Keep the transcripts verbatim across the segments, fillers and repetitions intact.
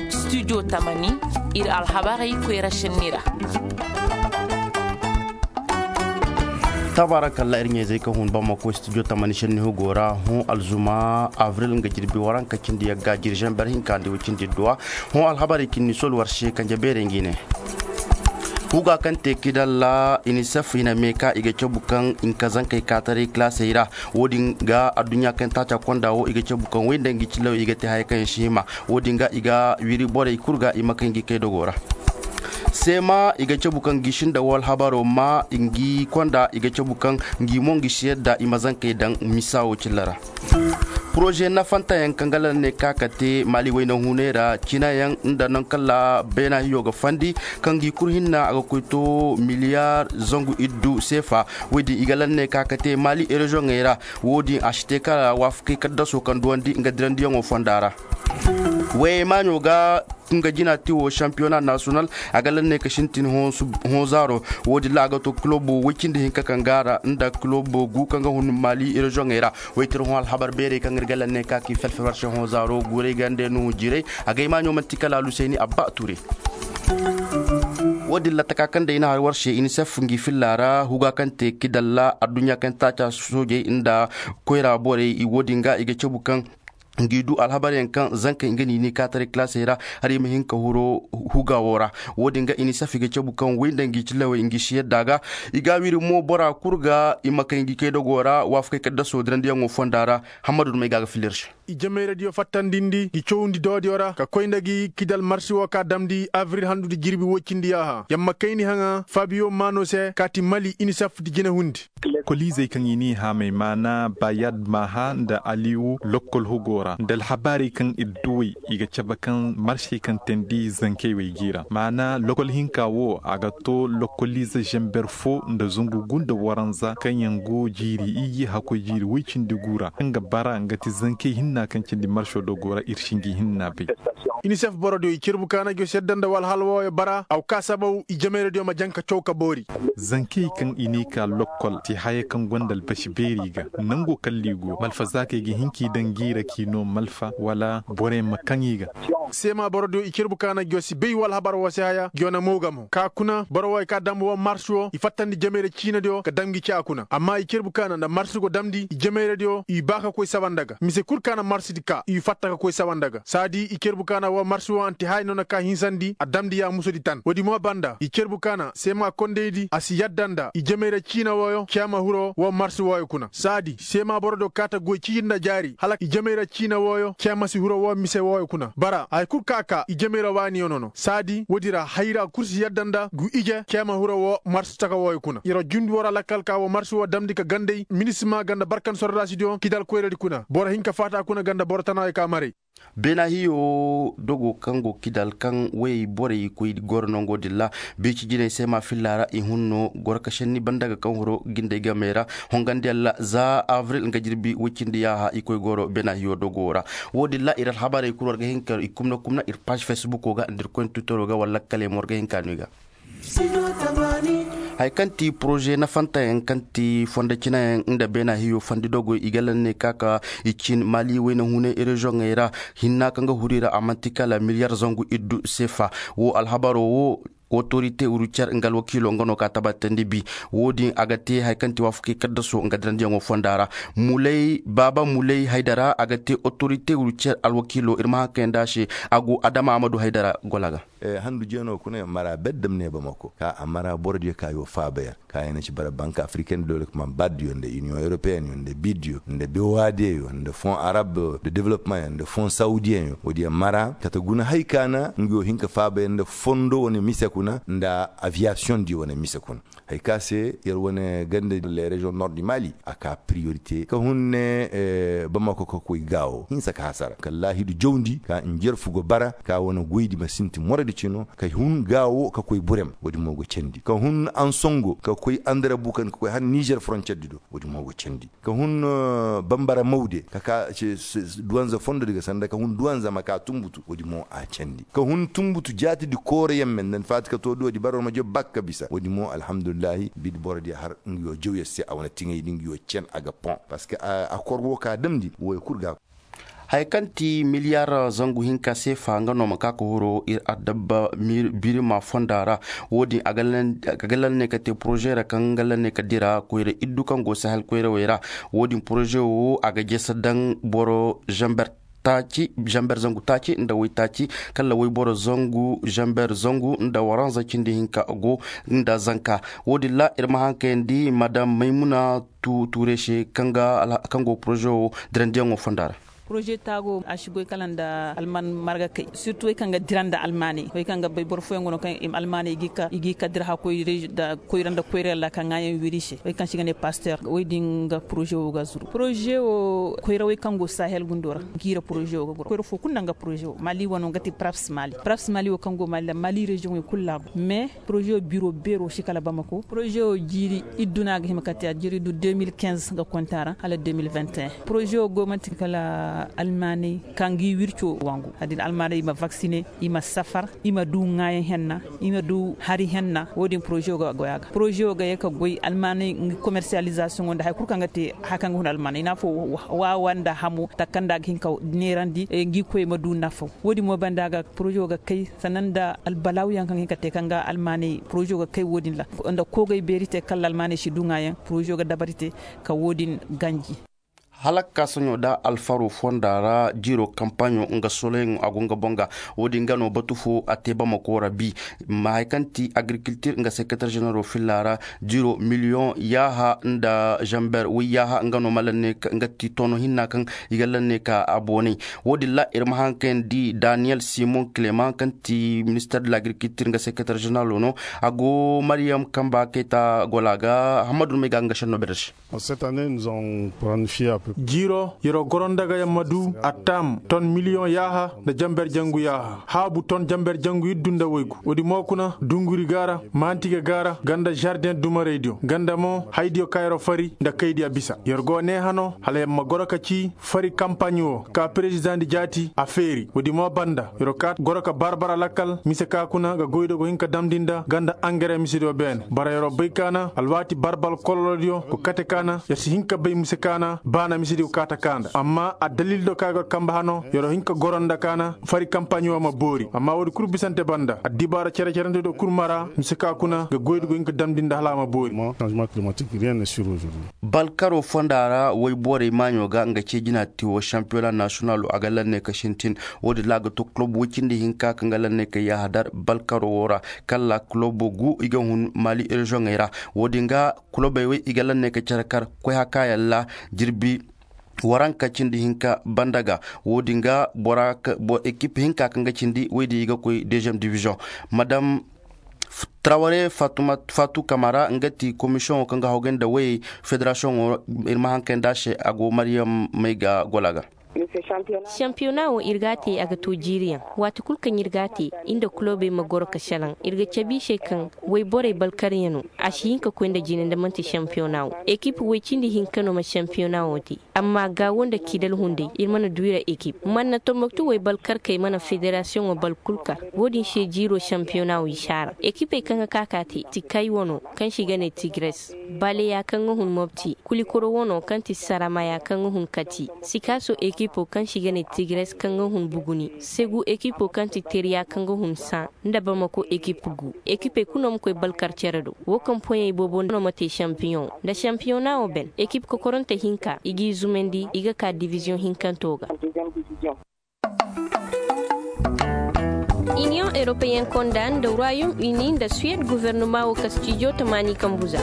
Studio tamani, ir alhabarey koyra šenni ra. Tabarakalla ir ɲayzey ka hun bamako studio tamani šenni hugo ra. Hun alzuma avril nga jirbi waranka cindi yagga jiri žember hinka nda way cindi duwa. Hun alhabarey kinni sol war se kanje beerey ngi ne. Huga kaŋ te kidalla inisef i na meeka i ga cabu kaŋ i nka zankey kaataray kilaasey ra. Wo-din ga adduɲɲa kaŋ taaca konda wo i ga cabu kaŋ way nda ngi cillaw i ga te haya kaŋ yaŋ si hima. Wo-din ga i ga wiri borey kul ga i ma kay ngi kay dogo ra. Seema i ga cabu kaŋ ngi sinda wo alhabaro ma ngi konda i ga cabu kaŋ ngi mo ngi si yadda i ma zankey daŋ misa wo cilla ra. Poroze nafantayaŋ kaŋ ga lal ne ka ka te maali wayna hunay ra cinayaŋ nda naŋ kala beena hiyo ga fandi kaŋ gi kul hinna a ga koy to miliyar zangu iddu seefa. Woy din i ga lal ne ka ka te maali rezoŋey ra. Wo-din a si te kala waafakey kaddaso kaŋ duwandi nga dirandiyaŋo fonda ra. Wayey maaɲo ga nga jina te wo sampiyona nasiyonal. A ga lal ne ka sintin hõ zaaro. Wo-din ra a ga to kilobo woy cindi hinka kaŋ gaara nda kilobo gu kaŋ ga hun maali rezoŋey ra. Woy tir hõ alhabar beerey kaŋ ir ga lal ne ka k'i felfel war se hõ zaaro guurey gande nuhu jiray. A ga ay maaɲo man'ti kala alusayni abba ture. Wo-din ra taka kaŋ day na har war se inisef ngi filla ra huga kaŋ te kidalla adduɲɲa kaŋ taaca soojey nda koyra borey wo-din ga i ga cabu kaŋ ngi du alhabaryaŋ kaŋ zankey nga ni ni kaataray kilaasey ra. Har i ma hin ka huro huga wo ra. Wo-din ga inisef i ga cabu kaŋ way nda ngi cillawey ngi si yadda ga. I ga a wiri mo bora kul ga i ma kay ngi kay dogo ra waafakey kaddaso dirandiyaŋo fonda ra. Hammadu dumey ga a ga filla ir se. I jamayradiyo fattandindi ngi cawndi doodiyo ra ka koy nda gi kidal marsi wo ka damndi abril handudi jirbi woy cindi yaaha yamma kayni haŋa fabiyo maano se kaati mali inisef di jinahundi. Koliizey kaŋ i n'i haamay maana bayad maaha nda aliwu lokkol hugo ra nda alhabaarey kaŋ ir duwey i ga cabe kaŋ marsey kaŋ teendi zankey wey g'i ra maana lokkol hinka wo a ga to lokkoliize zamber fo nda zangu gu nda waranza kaŋ yaŋ go jiiri iyye hakkoy jiiri woy cindi gu ra kaŋ ga bara nga ti zankey hinna kaŋ cindi marso dogo ra ir si ngi hinna bay. Inisef borodiyo i cirbu kaana jose yadda nda walhal wooyo bara a ga ka sabaw i jamayradiyo ma jaŋ ka caw ka boori. Zankey kaŋ i n'i ka lokkol ti haya kaŋ gonda albasi beeri ga nango kalli go malfazaakey ga hin k'i daŋ gi ra k'i no malfa wala borey ma kaŋ i ga. Seema borodiyo i cirbu kaana jose bay walhabar woo se haya jona mooga mo ka kuna boro wooyo ka dam woo mars woo i fattandi jamayra ciinadiyo ka dam ngi caa kuna amma i cirbu kaana nda mars go damndi i jamayradiyo i ba ka koy saba nda ga mise kul kaana marsdi ka i fatta ka koy saba nda ga saadi i cerbu kaana woo marsi woo anti haya noona ka hinsandi a damndi yaamusudi tan woodi mo banda i cerbu kaana seema kondaydi a si yadda nda i jamayra ciina wooyo ceema hiro woo marsi wooyo kuna saadi seema borodiyo kaata goy ciiri nda jaari hala i jamayra ciina wooyo ceema si hiro woo mise wooyo kuna bara haya kul ka ka i jamayra waaniyo nono saadi woodi ra hayra kul si yadda nda gu ije ceema hiro woo marsi taka wooyo kuna yer wa jundi woo ra lakkal ka woo marsi woo damndi ka ganday minisima ganda barkan sordaasidiyo kidal koyradi kuna boro hinka faata kuna ganda boro tanaayo ka maray. Beena hiyo dogo kaŋ go kidal kaŋ woyey borey koy goro nongo din ra biici jinay seema filla ra i hun no goro ka senni banda ga kaŋ horo gindey gamey ra hongandiyaŋ ra za abril nga jirbi woy cindi yaaha i koy goro beena hiyo dogo ra. Woo din ra ir alhabarey kul war ga hin ka i kumna kumna ir paaž fesbuko ga nda ir koyne twitero ga wala lakkaley mo war ga hin ka no i ga. Haya kaŋ ti poroze nafantayaŋ kaŋ ti fondo cinayaŋ nda beena hiyo fandi dogoy i ga lanney ka ka i cin maali wayna hunay rezoŋey ra hinna kaŋ ga huru i ra a man'ti kala miliyar zangu iddu seefa. Woo alhabaro woo otorite rucer nga alwakiilo nga no ka tabatandi bi. Woo din a ga te haya kaŋ ti waafakey kaddaso nga dirandiyaŋo fonda ra. Mulay baaba mulay haydara a ga te otorite rucer alwakiilo ir ma haŋ kayandi a se. A go adama a ma du haydara gola ga. Handu jeeno kuna yaŋ mara beddam ne bamako ka a mara borodiyo ka yoo faabayaŋ ka yaŋ na ci bara bank africaine de développement baddiyo nda union européenne yo nda biddiyo nda bewadeyo nda fond arabe de développement yo nda fond saudiyen yo woodiyo mara kate guna hay ka na nga yoo hin ka faabayaŋ nda fondo wane mise kuna nda aviation diyo wane mise kuna. Hay ka se yer wane ganda le région nord du mali a ka priorité ka hun ne bamako ka koy gaawo hinsa ka hasara kala laahidu jawndi ka njerfu go bara ka wane goydi ma sinti moradi cino ka hun gaawo ka koy burem woodi mo go candi ka hun ansongo ka koy andarabu kan ka koy har niger frontière di do woodi mo go candi ka hun bambara mawde ka ka duwanza fondo di ga sanda ka hun duwanza ma ka tumbutu woodi mo a candi ka hun tumbutu jaati di kooro yemme nda ni faati ka to duwadi bara war ma job bakka bisa woodi mo alhamdulillahi bidi boro di har nga yoo jaw yer se a wane tiŋay di nga yoo cen a ga pon parce que a kor wo ka damndi wooyo kul ga. Haya kaŋ ti miliyar zangu hinka seefa nga no ma ka ka horo ir adabba birima fonda ra. Wo-din a ga lan ne ka te poroze ra kaŋ nga lan ne ka dira koyra iddu kaŋ go sahel koyrawey ra. Wo-din poroze wo a ga jese daŋ boro zamber taaci zamber zangu taaci nda waytaaci, kala wayboro zangu zamber zangu nda waranza cindi hinka go nda zanka. Wo-din ra ir ma haŋ kayandi madam maymuna tuure se kaŋ go poroze wo dirandiyaŋo fonda ra. Poroze taago a si goy kala nda alman marga kay, sirtu wey kaŋ ga dira nda almaaney wey kaŋ ga bay boro fooyaŋ go no kaŋ almaaney i g'i ka dira hakoy nda koyra nda koyra ra ka ŋaayaŋ wiri se wey kaŋ se i ga ne paster wey din ga poroze wo ga zuru poroze wo koyra wey kaŋ go sahel gundo ra. Jiira poroze wo ga goro koyra fo kulu naŋ ga poroze wo mali wano nga ti praps mali praps mali wo kaŋ go mali ra mali reziyoŋey kulu laabu mais poroze wo biro beero si kala bamako poroze wo jiiri iddu no a ga hima ka te a jiiri iddu deux mille quinze ga konta ra hala deux mille vingt et un poroze wo go manti kala almaaney ka ngi wirco wangu a din almaaney i ma vaksine, i ma safar, i ma du ŋaayaŋ henna, i ma du hari henna wo- din poroze wo ga goy a ga poroze wo ga ye ka goy almaaney ngi komersiyalizasiyoŋo nda hari kulu kaŋ ga te hari kaŋ ga hun almaaney i na fo waawa nda hamo takanda a ga hin ka neerandi ngi koy ma du nafaw. Wo- din mo banda ga poroze wo ga kay sannan nda albalawyaŋ kaŋ ga hin ka te kaŋ ga almaaney poroze wo ga kay wo- din ra nda koogay beeri te kala almaaney si du ŋaayaŋ poroze wo ga dabari te ka wo- din ganji. Hala ka ka soɲo da alfaro fonda ra jiro kampaɲo nga soleŋ a go nga boŋ ga. Wo- din ga no batu fo a te bamako ra bi ma hari kaŋ ti agirikiltir nga sekeretar ženero filla ra jiro miliyoŋ yaaha nda zamber woy yaaha nga no ma lanne nga ti tono hinna kaŋ i ga lanne ka a boonay. Wo- din ra ir ma haŋ kayandi daniyel simon clement kaŋ ti minister de l'agirikiltir nga sekeretar ženero no a go mariyam kamba kayta gola ga hammadu no may ga nga senno bere se. Jiiro yer'o goro nda ga yamma du attaam ton miliyoŋ yaaha nda jamber jangu yaaha haabu ton jamber jangu iddu nda woygu woodi mo kuna dunguri gaara maantige gaara ganda žardeŋ dumaraydiyo ganda mo haydiyo ka yer'o fari nda kaydiyo bisa yer go nee hano hala yamma goro ka cii fari kampaɲ wo ka perezidaŋ di jaati a feeri woodi mo banda yer'o kaa goro ka barbar alakkal mise ka kuna ga goydo go hin ka damndi nda ganda angare misediyo beene bara yer'o bay kaana alwaati barbal kololodiyo go kate kaana yer si hin ka bay mise kaana baana misediyo kaata kaanda amma addalil do ka ay go kamba hano yer'o hin ka goro nda kaana fari kampaɲo ma boori amma woodi kul bisante banda addibaara cere-cerentediyo kul mara mise ka kuna ga goydi go hin ka damndi nda hala a ma boori. Balkaro fonda ra woy borey maaɲo ga nga cee jina ti wo sampiyona nasiyonalo a ga lanne ka sintin. Wo-din ra a ga to kulob woy cindi hinka kaŋ ga lanne ka yaaha dar balkaro wo ra kala kulobo gu i ga hun mali reziyoŋey ra. Wo-din ga kulobey wey i ga lanne ka care kar koy hakaayaŋ ra jirbi waranka cindi hinka banda ga. Wo-din ga bora ekip hinka kaŋ ga cindi wey din i ga koy deziyeem diviziyoŋ madam traware fatu kamara nga ti komisiyoŋo kaŋ ga hawgay nda wayey federasiyoŋo ir ma haŋ kay nda a se a go mariyam may ga gola ga. Sampiyona wo ir g'a te a ga to jiiriyaŋ waati kul kaŋ ir g'a te ir nda kulobey ma goro ka salaŋ ir ga cabe i se kaŋ woy borey balkaryaŋo a si hin ka koy nda jine nda man'ti sampiyona wo ekip woy cindi hinka no ma sampiyona wo te. Amma gaawo nda kiidal hunday ir mana du i ra ekip manna tomboktu woy balkarkey mana federasiyoŋo bal kul kar. Wo-din se jiiro sampiyona wo i si a ra ekipey kaŋ ga ka ka te tikay wano kaŋ se i ga ne tigres baleya kaŋ ga hun mobti kulikoro wano kaŋ ti saramaya kaŋ ga hun kati sikaso ekipo kaŋ se i ga ne tigres kaŋ ga hun buguni segu ekipo kaŋ ti teriya kaŋ ga hun san nda bamako ekip gu ekipey kulu no ma koy balkar cere do wo kaŋ poɲey boobo no ma te sampiyoŋ nda sampiyoŋ na wo ben ekip kokoronte hinka i g'i zumandi i ga ka diviziyoŋ hinkanto ga. Iniyoŋ europeyen konda nda royaume uni nda suwed guvernoma wo kastijo tamaani kambu za.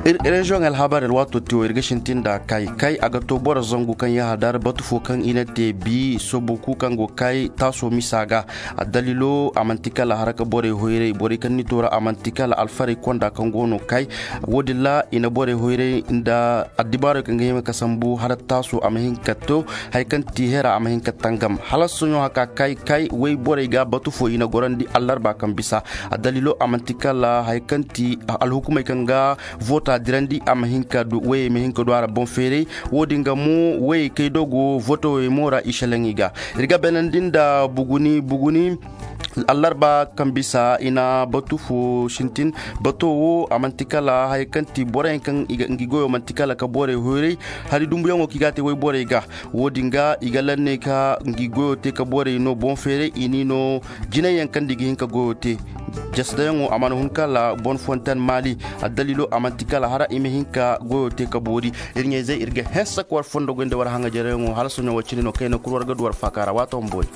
Reziyoŋ alhabar alwaato te wo ir ga sintin nda kay kay a ga to boro zangu kaŋ yaha dar batu fo kaŋ i na te bi soboku kaŋ go kay taaso misa ga. Addalilo a manti kala haraka borey hoyray borey kaŋ ni toora a manti kala alfarey konda kaŋ go no kay. Wo-din ra i na borey hoyray nda addibaarey kaŋ ga hima ka sambu hala taaso a ma hin ka to. Hari kaŋ ti hera a ma hin ka tangam hala soɲo haka kay kay way borey ga batu fo i na gorandi allarba kaŋ bisa. Addalilo a manti kala hari kaŋ ti alhukumey kaŋ ga voota dirandi a ma hin ka du wayey ma hin ka du a ra boŋ feeray. Wo-din ga mo wayey kay do go vootowey mo ra i selaŋ i ga. Ir ga beenandi nda buguni buguni Allarba kaŋ bisa i na batu fo sintin. Bato wo a man'ti kala haya kaŋ ti borey kaŋ ngi goyo man'ti kala ka borey hoyray. Hari dumbuyaŋo kaŋ i ga a te woyborey ga. Wo-din ga i ga lanney ka ngi goyo te ka borey no boŋ feeray i n'i no jinay yaŋ kaŋ nda i ga hin ka goyo te. Jasdayaŋo a mana hun kala bon fontan maali. Addaliilo a man'ti kala hara i ma hin ka goyo te ka boori. Ir ɲayzey ir ga hense ka war fondo goy nda war haŋajereyaŋo hala soɲo wo cine no kayna kul war ga du war faaka ra waato ma boori.